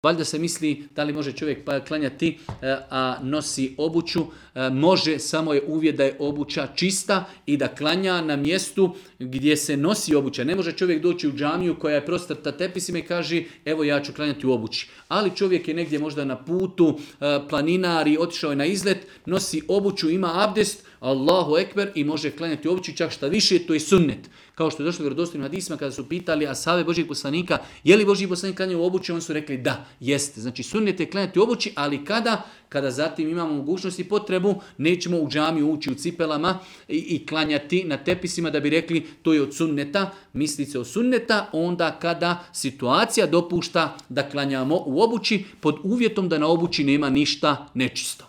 Valjda se misli da li može čovjek klanjati, a nosi obuću. Može, samo je uvjet da je obuća čista i da klanja na mjestu gdje se nosi obuća. Ne može čovjek doći u džamiju koja je prostrta tepisima i kaže evo ja ću klanjati u obući. Ali čovjek je negdje možda na putu, planinar i otišao je na izlet, nosi obuću, ima abdest, Allahu ekber i može klanjati u obući, čak šta više, to je sunnet. Kao što je došlo u vjerodostojnim hadisima kada su pitali ashave Božjeg poslanika, je li Božji poslanik klanjao u obući, on su rekli da, jeste. Znači sunnet je klanjati u obući, ali kada zatim imamo mogućnost i potrebu, nećemo u džamiju ući u cipelama i klanjati na tepisima da bi rekli to je od sunneta, misli se od sunneta, onda kada situacija dopušta da klanjamo u obući pod uvjetom da na obući nema ništa nečisto.